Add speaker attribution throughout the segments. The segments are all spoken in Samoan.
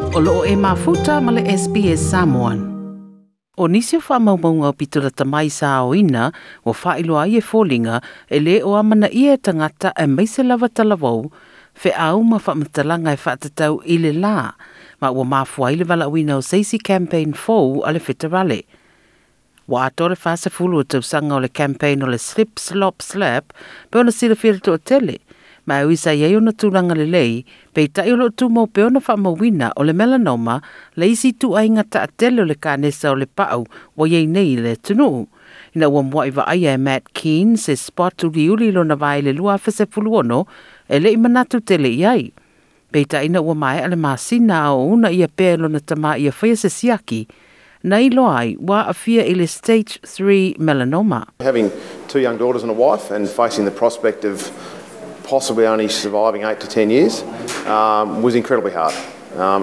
Speaker 1: O loo e mafuta ma le SBS Samoan. O nisi o faamaumauga aupito lata mai sa aoina ua faailoa ai e foliga e lē o amanaia e tagata aemaise lava talavou feau ma faamatalaga e faatatau i le lā ma ua mafua ai le valaauina o se isi campaign fou a le feterale. Ua atoa le 40 o tausaga o le campaign o le Slip Slop Slap pe ona silafia le toatele, ma e ui sa i ai ona tulaga lelei, peitai o loo tumau pea ona faamauina o le melanoma le isi ituaiga taatele o le kanesa o le pau ua iai nei i le atunuu. Ina ua muai vaaia e Matt Keane se spot uliuli lona vae i le 2016, e le i manatu tele i ai. Peitai ina ua maea le masina a o uunaia pea e lona tamā ia faia se siaki, na iloa ai ua aafia i le stage 3 melanoma.
Speaker 2: Having two young daughters and a wife and facing the prospect of possibly only surviving 8 to 10 years was incredibly hard,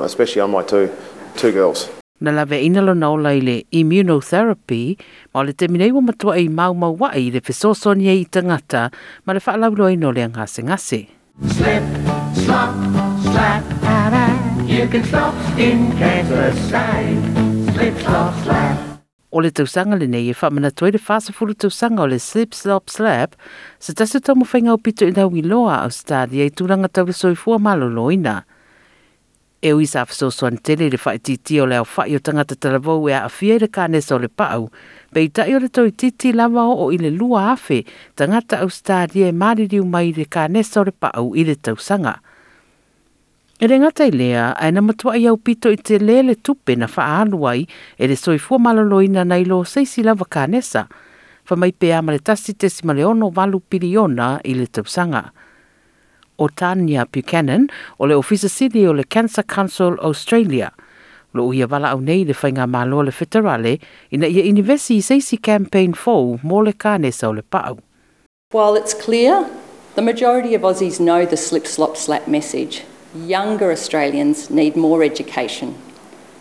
Speaker 2: especially on my two girls.
Speaker 1: Na laveaina lona ola i le immunotherapy, ma o le taimi nei ua matuai maumaua'i i le fesoasoani ai i tagata ma le faalauiloaina o le gasegase.
Speaker 3: Slip, slop, slap, you can stop skin cancer, say. Slip, slop, slap.
Speaker 1: O le tausaga lenei e faamanatu ai le 40 tausaga o le Slip Slop Slap, se tasi o taumafaiga aupito i lauiloa a Ausetalia i tulaga tau le soifua maloloina. E ui sa fesoasoani tele i le faaitiitia o le aofa'i o tagata talavou e aafia i le kanesa o le pau, peitai o le toeitiiti lava oo i le 2,000 tagata Ausetalia e maliliu mai i le kanesa o le pau i le tausaga. E le gata i lea, ae na matuai aupito i telē le tupe na faaalu ai e le soifua maloloina nai lo se isi lava kanesa, fai mai pe a ma le 1.68 piliona i le tausaga. O Tanya Buchanan o le Ofisa Sili o le Cancer Council Australia. O lo o ia valaau nei i le faigamalo a le feterale ina ia inivesi i se isi campaign fou mo le kanesa o le pau.
Speaker 4: While it's clear the majority of Aussies know the slip, slop, slap message, younger Australians need more education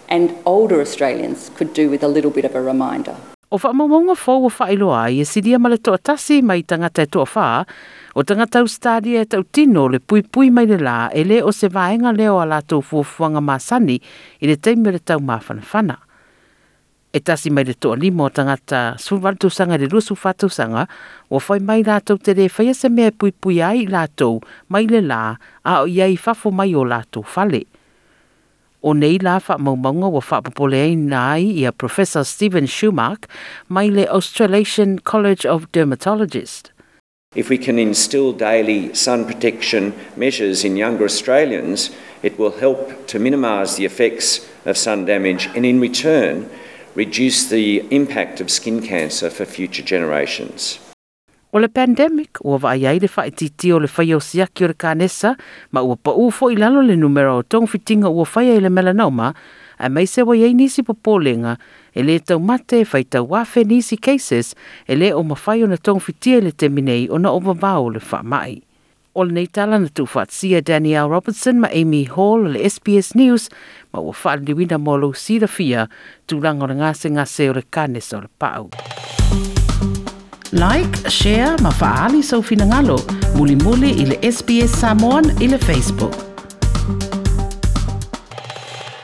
Speaker 4: and older Australians could do with a little bit of a reminder.
Speaker 1: O faamaumauga fou ua faailoa ai e silia ma le toatasi mai tagata e toafa o tagata Ausetalia e tautino le puipui mai le lā e le o se vaega lea o a latou fuafuaga masani i le taimi o le taumafanafana. E tasi mai le toalima o tagata 18 tausaga i le 24 tausaga ua fai mai latou te le faia se mea e puipuia ai i latou mai le lā a o i ai i fafo mai o latou fale. O nei la faamaumauga ua faapopoleina ai ia Professor Stephen Schumach mai le Australasian College of Dermatologists.
Speaker 5: If we can instill daily sun protection measures in younger Australians, it will help to minimise the effects of sun damage and in return reduce the impact of skin cancer for future generations.
Speaker 1: O le pandemic ua vaaia ai le faaitiitia o le faia o siaki o le kanesa ma ua paū foi i lalo le numera o togafitiga ua faia i le melanoma, aemaise ua i ai nisi popolega e lē taumate e faitau afe nisi cases e lē o mafai ona togafitia i le taimi nei ona o vavao o le faamai. O lenei tala na tuufaatasia e Danielle Robertson ma Amy Hall o le SBS News ma ua faaliliuina mo lou silafia tulaga o le gasegase o le kanesa o le pau. Like, share ma faaali sou finagalo mulimuli i le SBS Samoan i le Facebook.